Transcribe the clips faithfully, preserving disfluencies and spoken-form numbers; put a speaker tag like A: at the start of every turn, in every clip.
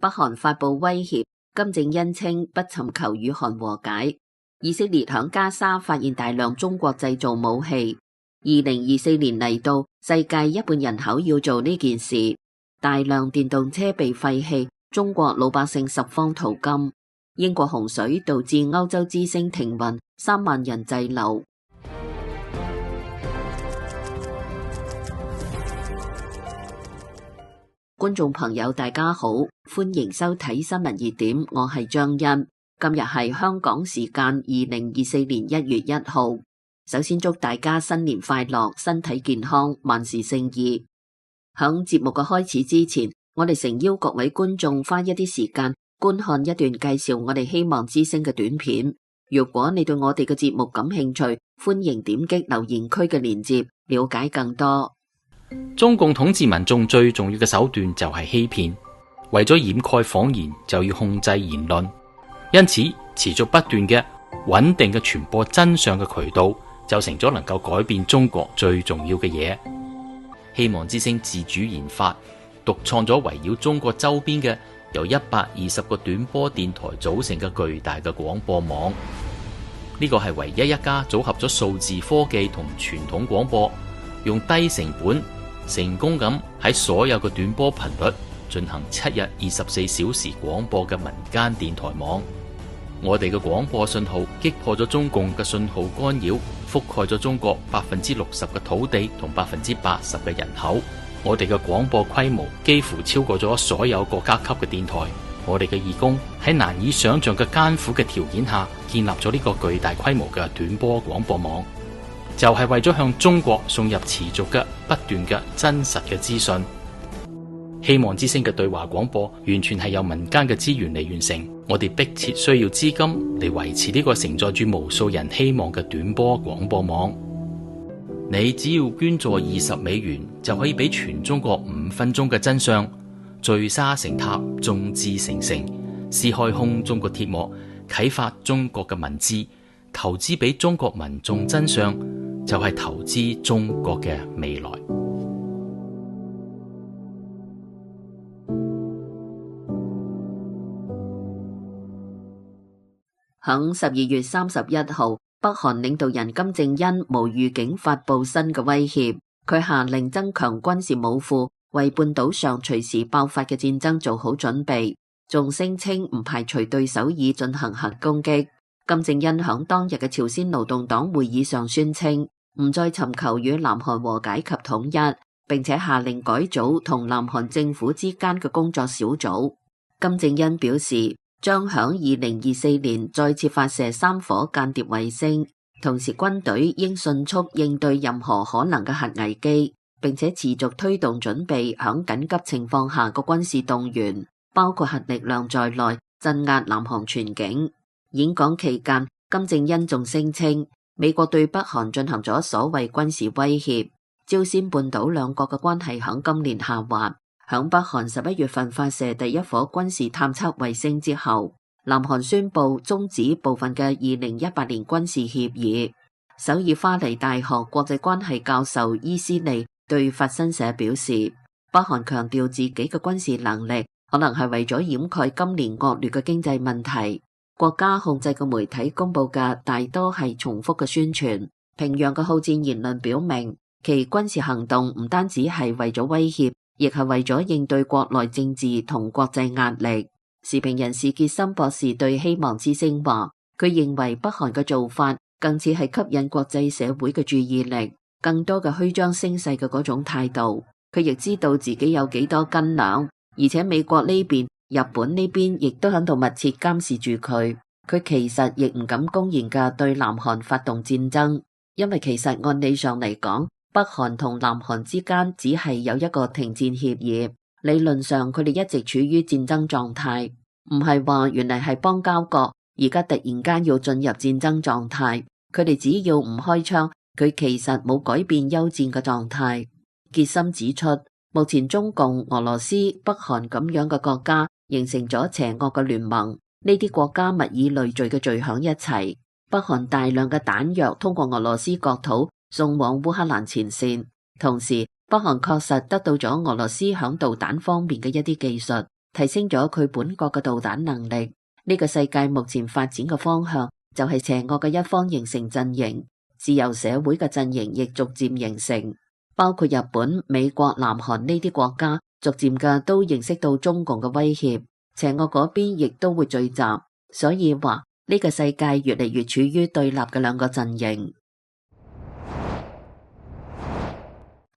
A: 北韓發布威脅，金正恩稱不尋求與韓和解。以色列響加沙發現大量中國製造武器。二零二四年嚟到，世界一半人口要做呢件事。大量電動車被廢棄，中國老百姓十方淘金。英國洪水導致歐洲之星停運，三萬人滯留。觀眾朋友大家好，歡迎收睇新聞熱點，我係張欣。今日係香港時間二零二四年一月一號。首先祝大家新年快樂，身體健康，萬事勝意。響節目嘅開始之前，我哋誠邀各位觀眾花一啲時間觀看一段介紹我哋希望之聲嘅短片。如果你對我哋嘅節目感興趣，歡迎點擊留言區嘅鏈接，了解更多。
B: 中共統治民眾最重要嘅手段就係欺騙，為咗掩蓋謊言，就要控制言論。因此，持續不斷嘅穩定嘅傳播真相嘅渠道，就成咗能夠改變中國最重要嘅嘢。希望之聲自主研發、獨創咗圍繞中國周邊嘅由一百二十個短波電台組成嘅巨大嘅廣播網。呢個係唯一一家組合咗數字科技同傳統廣播，用低成本成功咁喺所有嘅短波頻率進行七日二十四小時廣播嘅民間電台網。我哋嘅廣播信號擊破咗中共嘅信號干擾，覆蓋咗中國百分之六十嘅土地同百分之八十嘅人口。我哋嘅廣播規模幾乎超過咗所有國家級嘅電台。我哋嘅義工喺難以想象嘅艱苦嘅條件下，建立咗呢個巨大規模嘅短波廣播網，就係為咗向中國送入持續嘅不斷嘅真實嘅資訊。希望之聲嘅對話廣播完全係由民間嘅資源嚟完成，我哋迫切需要資金嚟維持呢個承載住無數人希望嘅短波廣播網。你只要捐助二十美元，就可以俾全中國五分鐘嘅真相，聚沙成塔，眾志成城，撕開空中國鐵幕，啟發中國嘅文字，投資俾中國民眾真相，就係投資中國嘅未來。
A: 響十二月三十一號，北韓領導人金正恩無預警發布新嘅威脅，佢下令增強軍事武庫，為半島上隨時爆發嘅戰爭做好準備，仲聲稱唔排除對首爾進行核攻擊。金正恩響當日嘅朝鮮勞動黨會議上宣稱，唔再尋求與南韓和解及統一，並且下令改組同南韓政府之間嘅工作小組。金正恩表示，將響二零二四年再次發射三顆間諜衛星，同時軍隊應迅速應對任何可能嘅核危機，並且持續推動準備響緊急情況下嘅軍事動員，包括核力量在內，鎮壓南韓全境。演講期間，金正恩仲聲稱，美國對北韓進行咗所謂軍事威脅。朝鮮半島兩國嘅關係響今年下滑。響北韓十一月份發射第一顆軍事探測衛星之後，南韓宣布終止部分嘅二零一八年軍事協議。首爾花梨大學國際關係教授伊斯利對法新社表示，北韓強調自己嘅軍事能力，可能係為咗掩蓋今年惡劣嘅經濟問題。國家控制嘅媒體公布嘅大多係重複嘅宣傳。平壤嘅好戰言論表明，其軍事行動唔單止係為咗威脅，亦係為咗應對國內政治同國際壓力。時評人士傑森博士對希望之聲話，佢認為北韓嘅做法更似係吸引國際社會嘅注意力，更多嘅虛張聲勢嘅嗰種態度。佢亦知道自己有幾多斤兩，而且美國呢邊、日本呢邊亦都喺度密切監視住佢。佢其實亦唔敢公然嘅對南韓發動戰爭，因為其實按理上嚟講，北韓同南韓之間只係有一個停戰協議，理論上佢哋一直處於戰爭狀態，唔係話原來係邦交國，而家突然間要進入戰爭狀態。佢哋只要唔開槍，佢其實冇改變休戰嘅狀態。傑森指出，目前中共、俄羅斯、北韓咁樣嘅國家形成咗邪惡嘅聯盟，呢啲國家物以類聚嘅聚響一齊。北韓大量嘅彈藥通過俄羅斯國土送往烏克蘭前線，同時北韓確實得到咗俄羅斯響導彈方面嘅一啲技術，提升咗佢本國嘅導彈能力。呢個世界目前發展嘅方向就係邪惡嘅一方形成陣營，自由社會嘅陣營亦逐漸形成，包括日本、美國、南韓呢啲國家，逐漸嘅都認識到中共嘅威脅，邪惡嗰邊亦都會聚集，所以話呢個世界越嚟越處於對立嘅兩個陣營。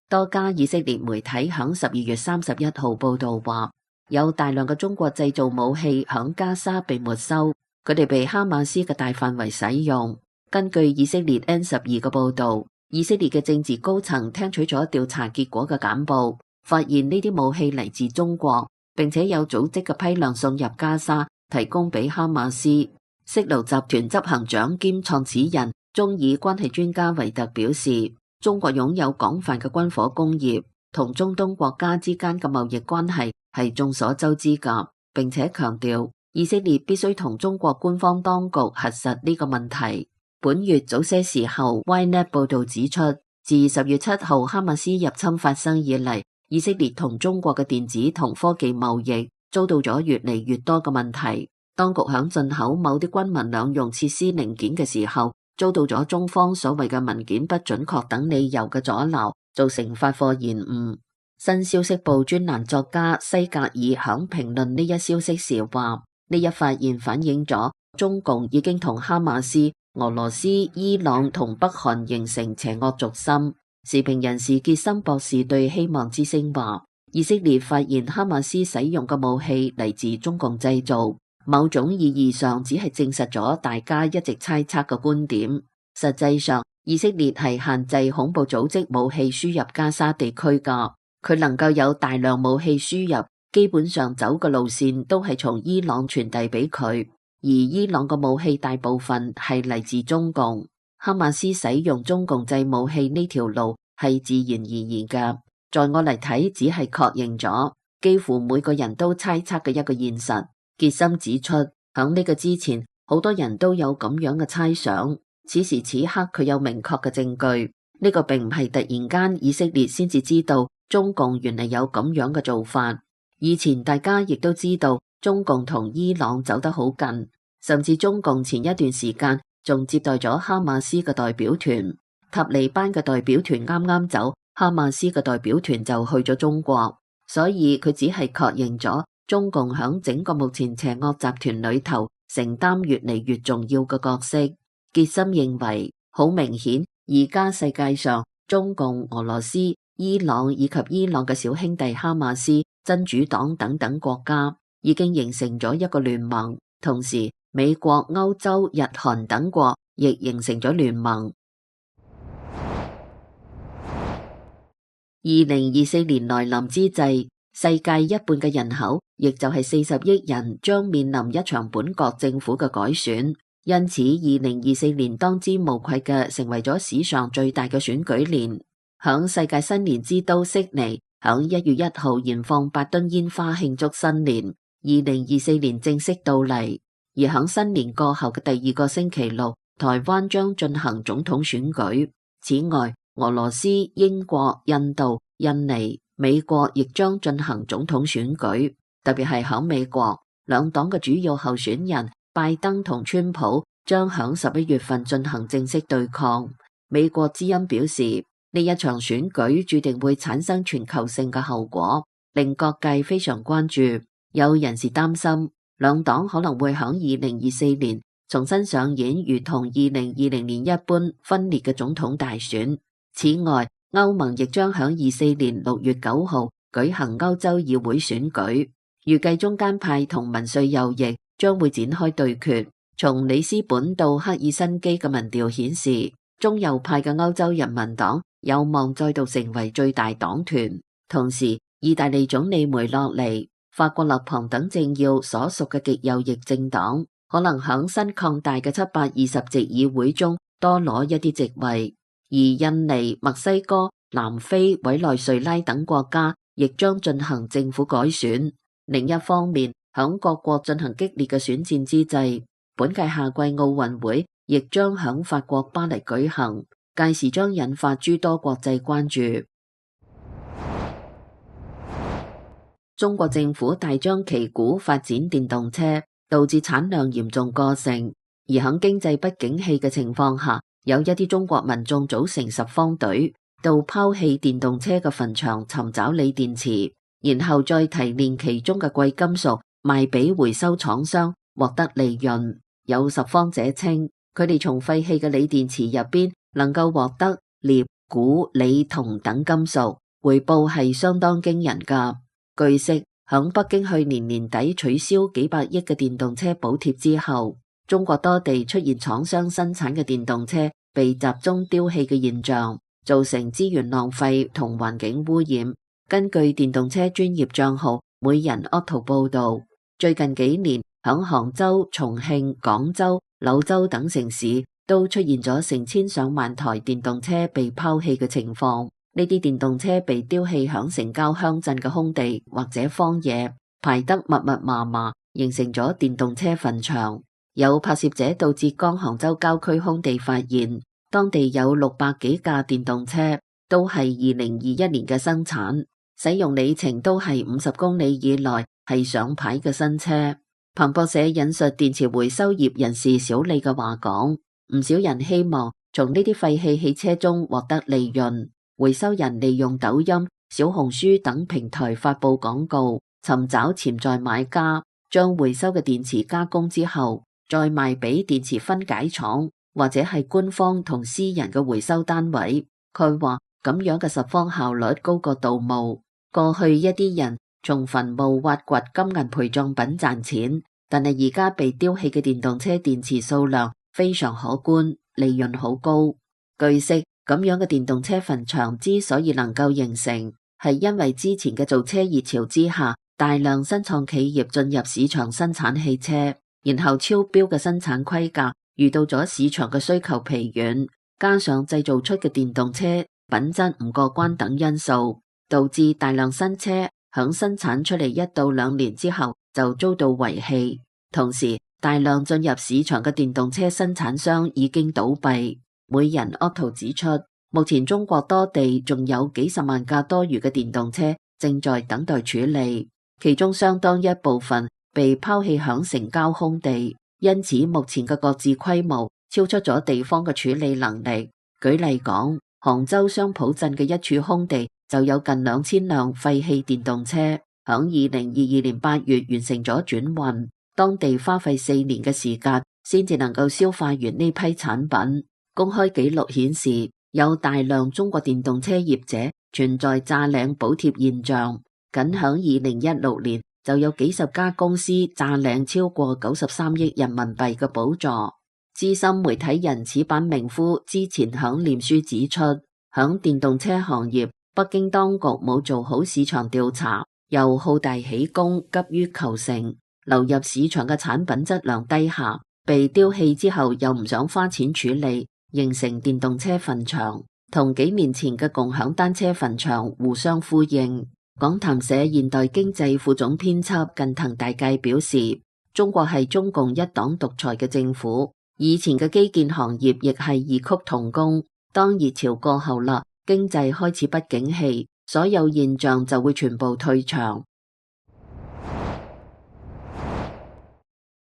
A: 多家以色列媒體響十二月三十一號報道話，有大量嘅中國製造武器響加沙被沒收，佢哋被哈馬斯嘅大範圍使用。根據以色列 N 十二嘅報道，以色列嘅政治高層聽取咗調查結果嘅簡報，發現呢啲武器嚟自中國，並且有組織嘅批量送入加沙，提供俾哈馬斯。色盧集團執行長兼創始人、中以關係專家維特表示，中國擁有廣泛嘅軍火工業，同中東國家之間嘅貿易關係係眾所周知㗎，並且強調以色列必須同中國官方當局核實呢個問題。本月早些時候 ，Ynet 報道指出，自十月七號哈馬斯入侵發生以嚟，以色列同中國嘅電子同科技貿易遭到咗越嚟越多嘅問題。當局響進口某啲軍民兩用設施零件嘅時候，遭到咗中方所謂嘅文件不準確等理由嘅阻撓，造成發貨延誤。新消息報專欄作家西格爾響評論呢一消息時話，呢一發現反映咗中共已經同哈馬斯、俄羅斯、伊朗同北韓形成邪惡軸心。時評人士傑森博士對希望之聲話，以色列發現哈馬斯使用嘅武器嚟自中共製造，某種意義上只係證實咗大家一直猜測嘅觀點。實際上，以色列係限制恐怖組織武器輸入加沙地區㗎，佢能夠有大量武器輸入，基本上走嘅路線都係從伊朗傳遞俾佢，而伊朗嘅武器大部分係嚟自中共。哈馬斯使用中共製武器呢條路係自然而然嘅，在我嚟睇，只係確認咗幾乎每個人都猜測嘅一個現實。傑森指出，響呢個之前，好多人都有咁樣嘅猜想。此時此刻，佢有明確嘅證據。呢個並唔係突然間以色列先至知道中共原嚟有咁樣嘅做法。以前大家亦都知道中共同伊朗走得好近，甚至中共前一段時間仲接待咗哈馬斯嘅代表團。塔利班嘅代表團啱啱走，哈馬斯嘅代表團就去咗中國，所以佢只係確認咗中共響整個目前邪惡集團裏頭承擔越嚟越重要嘅角色。傑森認為，好明顯，而家世界上中共、俄羅斯、伊朗以及伊朗嘅小兄弟哈馬斯、真主黨等等國家已經形成咗一個聯盟，同時美國、歐洲、日韓等國亦形成咗聯盟。二零二四年來臨之際，世界一半嘅人口，亦就係四十億人，將面臨一場本國政府嘅改選。因此，二零二四年當之無愧嘅成為咗史上最大嘅選舉年。響世界新年之都悉尼，響一月一號燃放八噸煙花慶祝新年。二零二四年正式到嚟，而響新年過後嘅第二個星期六，台灣將進行總統選舉。此外，俄羅斯、英國、印度、印尼、美國亦將進行總統選舉。特別係響美國，兩黨嘅主要候選人拜登同川普將響十一月份進行正式對抗。美國之音表示，呢一場選舉注定會產生全球性嘅後果，令各界非常關注。有人士擔心，兩黨可能會響二零二四年重新上演如同二零二零年一般分裂嘅總統大選。此外，歐盟亦將響二四年六月九號舉行歐洲議會選舉，預計中間派同民粹右翼將會展開對決。從里斯本到赫爾辛基嘅民調顯示，中右派嘅歐洲人民黨有望再度成為最大黨團。同時，意大利總理梅洛尼、法國勒龐等政要所屬嘅極右翼政黨，可能響新擴大嘅七百二十席議會中多攞一啲席位。而印尼、墨西哥、南非、委內瑞拉等國家亦將進行政府改選。另一方面，響各國進行激烈嘅選戰之際，本屆夏季奧運會亦將響法國巴黎舉行，屆時將引發諸多國際關注。中國政府大張旗鼓發展電動車，導致產量嚴重過剩。而喺經濟不景氣嘅情況下，有一啲中國民眾組成拾荒隊，到拋棄電動車嘅墳場尋找鋰電池，然後再提煉其中嘅貴金屬賣俾回收廠商，獲得利潤。有拾荒者稱，佢哋從廢棄嘅鋰電池入邊能夠獲得鎳、鈷、鋰、銅等金屬，回報係相當驚人㗎。據悉，響北京去年年底取消幾百億嘅電動車補貼之後，中國多地出現廠商生產嘅電動車被集中丟棄嘅現象，造成資源浪費同環境污染。根據電動車專業賬號每人 Auto 報道，最近幾年響杭州、重慶、廣州、柳州等城市都出現咗成千上萬台電動車被拋棄嘅情況。呢啲電動車被丟棄響城郊鄉鎮嘅空地或者荒野，排得密密麻麻，形成咗電動車墳場。有拍攝者到浙江杭州郊區空地發現，當地有六百幾架電動車，都係二零二一年嘅生產，使用里程都係五十公里以內，係上牌嘅新車。彭博社引述電池回收業人士小李嘅話講，唔少人希望從呢啲廢棄汽車中獲得利潤。回收人利用抖音、小紅書等平台發佈廣告，尋找潛在買家，將回收嘅電池加工之後，再賣俾電池分解廠或者係官方同私人嘅回收單位。佢話咁樣嘅拾荒效率高過盜墓。過去一啲人從墳墓挖掘金銀陪葬品賺錢，但係而家被丟棄嘅電動車電池數量非常可觀，利潤好高。據悉，咁樣嘅電動車墳場之所以能夠形成，係因為之前嘅造車熱潮之下，大量新創企業進入市場生產汽車，然後超標嘅生產規格遇到咗市場嘅需求疲軟，加上製造出嘅電動車品質唔過關等因素，導致大量新車響生產出嚟一到兩年之後就遭到遺棄。同時，大量進入市場嘅電動車生產商已經倒閉。每人 Auto 指出，目前中國多地仲有幾十萬架多餘嘅電動車正在等待處理，其中相當一部分被拋棄響城郊空地，因此目前嘅各自規模超出咗地方嘅處理能力。舉例講，杭州商浦鎮嘅一處空地就有近兩千輛廢棄電動車，響二零二二年八月完成咗轉運，當地花費四年嘅時間先至能夠消化完呢批產品。公開記錄顯示，有大量中國電動車業者存在詐領補貼現象。僅響二零一六年就有幾十家公司詐領超過九十三億人民幣嘅補助。資深媒體人矢板明夫之前響臉書指出，響電動車行業，北京當局冇做好市場調查，又好大喜功，急於求成，流入市場嘅產品質量低下，被丟棄之後又唔想花錢處理，形成電動車墳場，同幾年前嘅共享單車墳場互相呼應。講談社現代經濟副總編輯近藤大介表示，中國係中共一黨獨裁嘅政府，以前嘅基建行業亦係異曲同工。當熱潮過後啦，經濟開始不景氣，所有現象就會全部退場。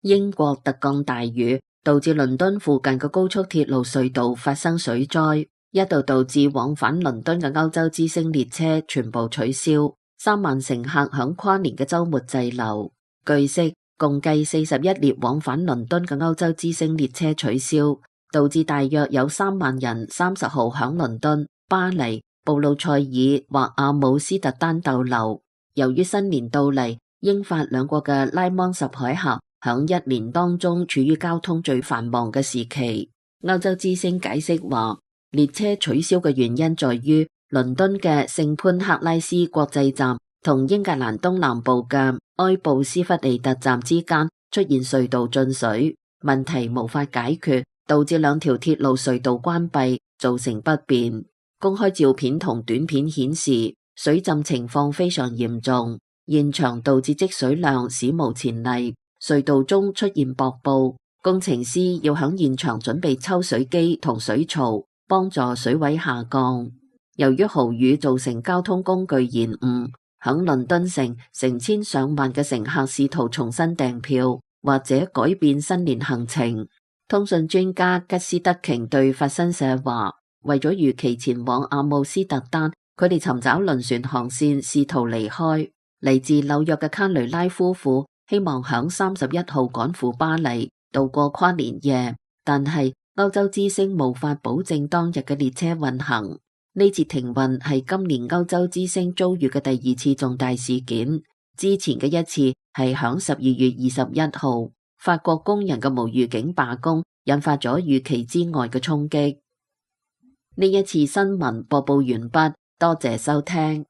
A: 英國特降大雨，導致倫敦附近嘅高速鐵路隧道發生水災，一度導致往返倫敦嘅歐洲之星列車全部取消，三萬乘客響跨年嘅週末滯留。據悉，共計四十一列往返倫敦嘅歐洲之星列車取消，導致大約有三萬人三十號響倫敦、巴黎、布魯塞爾或阿姆斯特丹逗留。由於新年到嚟，英法兩國嘅拉芒什海峽響一年當中處於交通最繁忙嘅時期。歐洲之星解釋話，列車取消嘅原因在於倫敦嘅聖潘克拉斯國際站同英格蘭東南部嘅埃布斯弗利特站之間出現隧道進水，問題無法解決，導致兩條鐵路隧道關閉，造成不便。公開照片同短片顯示，水浸情況非常嚴重，現場導致積水量史無前例，隧道中出現瀑布，工程師要響現場準備抽水機同水槽，幫助水位下降。由於豪雨造成交通工具延誤，響倫敦城，成千上萬嘅乘客試圖重新訂票或者改變新年行程。通訊專家吉斯德瓊對法新社話，為咗如期前往阿姆斯特丹，佢哋尋找輪船航線，試圖離開。嚟自紐約嘅卡雷拉夫婦希望響三十一號趕赴巴黎度過跨年夜，但係歐洲之星無法保證當日嘅列車運行。呢次停運係今年歐洲之星遭遇嘅第二次重大事件，之前嘅一次係響十二月二十一號，法國工人嘅無預警罷工引發咗預期之外嘅衝擊。呢一次新聞播報完畢，多謝收聽。